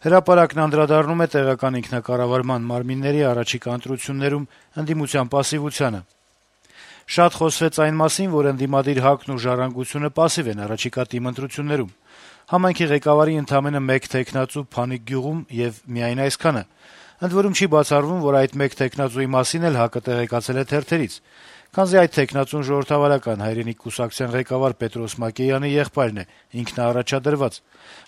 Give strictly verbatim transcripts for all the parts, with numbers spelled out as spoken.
Հրապարակն անդրադառնում է տեղական ինքնակառավարման մարմինների առաջիկա ընտրություններում ընդդիմության պասիվությանը. - «Շատ խոսվեց այն մասին, որ ընդդիմադիր ՀԱԿ-ն ու «Ժառանգությունը» պասիվ են առաջիկա ՏԻՄ ընտրություններում: Համայնքի ղեկավարի ընդամենը մեկ թեկնածու Փանիկ գյուղում եւ միայն այսքանը: Ընդ որում չի բացառվում, որ այդ մեկ թեկնածուի մասին էլ ՀԱԿ-ը տեղեկացել է թերթերից, քանզի այդ թեկնածուն Ժողովրդավարական հայրենիք կուսակցության ղեկավար Պետրոս Մակեյանի եղբայրն է, ինքնաառաջադրված: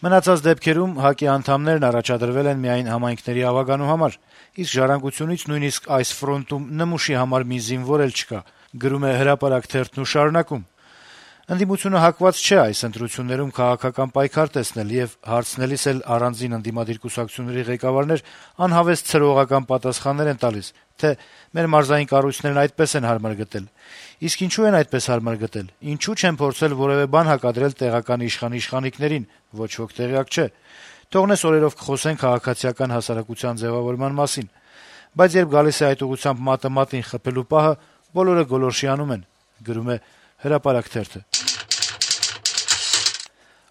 Մնացած դեպքերում ՀԱԿ-ի անդամներն առաջադրվել են միայն համայնքների ավագանու համար, իսկ «Ժառանգությունից» նույնիսկ այս ֆրոնտում նմուշի համար մի զինվոր էլ չկա», - գրում է «Հրապարակ» թերթն ու շարունակում. - «Ընդդիմությունը հակված չէ այս ընտրություններում քաղաքական պայքար տեսնել եւ հարցնելիս էլ առանձին ընդդիմադիր կուսակցությունների ղեկավարներ անհավես ցրողական պատասխաններ են տալիս, թե մեր մարզային կառույցներն այդպես են հարմար գտել: Իսկ ինչու են այդպես հարմար գտել, ինչու չեն փորձել որեւէ բան հակադրել տեղական իշխան իշխանիկներին, ոչ ոք տեղյակ չէ: Թողնես օրերով կխոսեն քաղաքացիական հասարակության ձեւավորման մասին: Բայց երբ գալիս է այդ ուղղությամբ մատը մատին խփելու պահը, բոլորը գոլորշի անում են»: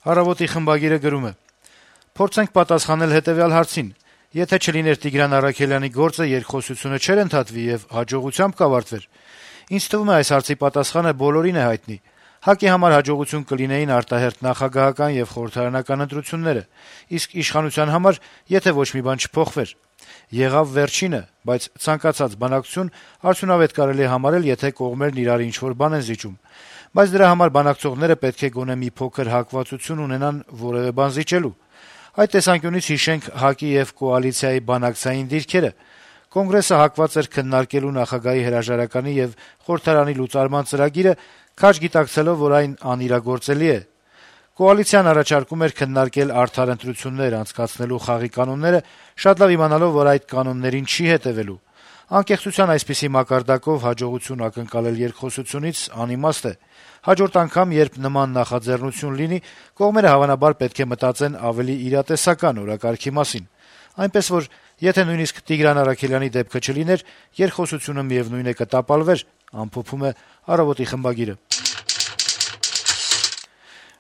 «Առավոտ»-ի խմբագիրը գրում է. - «Փորձենք պատասխանել հետեւյալ հարցին. եթե չլիներ Տիգրան Առաքելյանի գործը, երկխոսությունը չէր ընթացվի եւ հաջողությամբ կավարտվեր: Ինձ թվում է, այս հարցի պատասխանը բոլորին է հայտնի: ՀԱԿ-ի համար հաջողություն կլինեին արտահերթ նախագահական եւ խորհրդարանական ընտրությունները, իսկ իշխանության համար, եթե ոչ մի բան չփոխվեր: Եղավ վերջինը, բայց ցանկացած բանակցություն արդյունավետ կարելի է համարել, եթե կողմերն իրար ինչ-որ բան են զիջում: Բայց դրա համար բանակցողները պետք է գոնե մի փոքր հակվածություն ունենան որեւէ բան զիջելու: Այդ տեսանկյունից հիշենք ՀԱԿ-ի եւ կոալիցիայի բանակցային դիրքերը: Կոնգրեսը հակված էր քննարկելու նախագահի հրաժարականի եւ խորհրդարանի լուծարման ծրագիրը, քաջ գիտակցելով, որ այն անիրագործելի է: Կոալիցիան առաջարկում էր քննարկել արդար ընտրություններ անցկացնելու խաղի կանոնները, շատ լավ իմանալով, որ այդ կանոններին չի հետեւելու: Անկեղծության այսպիսի մակարդակով հաջողություն ակնկալել երկխոսությունից անիմաստ է: Հաջորդ անգամ, երբ նման նախաձեռնություն լինի, կողմերը հավանաբար պետք է մտածեն ավելի իրատեսական օրակարգի մասին: Այնպես որ, եթե նույնիսկ Տիգրան Առաքելյանի դեպքը չլիներ, երկխոսությունը միեւնույն է կտապալվեր»: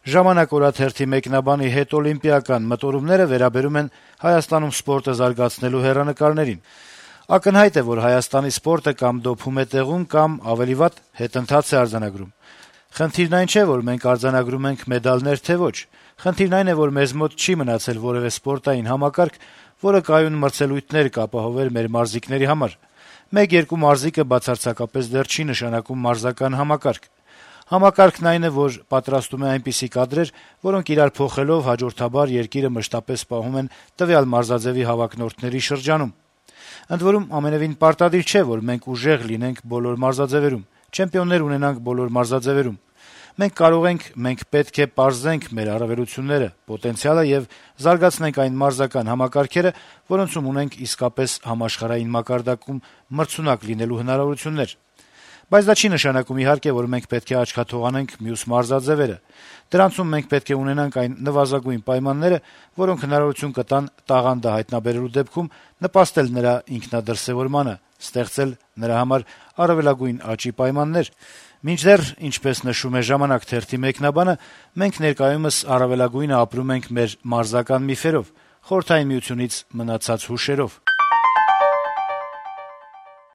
«Ժամանակ» օրաթերթի մեկնաբանի հետօլիմպիական մտորումները վերաբերում են Հայաստանում սպորտը զարգացնելու հեռանկարներին. - «Ակնհայտ է, որ Հայաստանի սպորտը կամ դոփում է տեղում, կամ, ավելի վատ, հետընթաց է արձանագրում: Խնդիրն այն չէ, որ մենք արձանագրում ենք մեդալներ, թե ոչ: Խնդիրն այն է, որ մեզ մոտ չի մնացել որեւէ սպորտային համակարգ, որը կայուն մրցելույթներ կապահովեր մեր մարզիկների համար: Մեկ-երկու մարզիկը բացարձակապես դեռ չի նշանակում մարզական համակարգ: Համակարգն այն է, որ պատրաստում է այնպիսի կադրեր, որոնք իրար փոխելով հաջորդաբար երկիրը մշտապես պահում են տվյալ մարզաձեւի հավակնորդների շրջանում: Ընդ որում, ամենեւին պարտադիր չէ, որ մենք ուժեղ լինենք բոլոր մարզաձեւերում, չեմպիոններ ունենանք բոլոր մարզաձեւերում: Մենք կարող ենք, մենք պետք է պարզենք մեր առավելությունները, պոտենցիալը եւ զարգացնենք այն մարզական համակարգերը, որոնցում ունենք իսկապես համաշխարհային մակարդակում մրցունակ լինելու հնարավորություններ: Բայց դա չի նշանակում, իհարկե, որ մենք պետք է աչքաթողանենք մյուս մարզաձեւերը: Դրանցում մենք պետք է ունենանք այն նվազագույն պայմանները, որոնք հնարավորություն կտան տաղանդը հայտնաբերելու դեպքում նպաստել նրա ինքնադրսեւորմանը, ստեղծել նրա համար առավելագույն աճի պայմաններ: Մինչդեռ, ինչպես նշում է «Ժամանակ» թերթի մեկնաբանը, մենք ներկայումս առավելագույնը ապրում ենք մեր մարզական միֆերով, Խորհրդային Միությունից մնացած հուշերով»: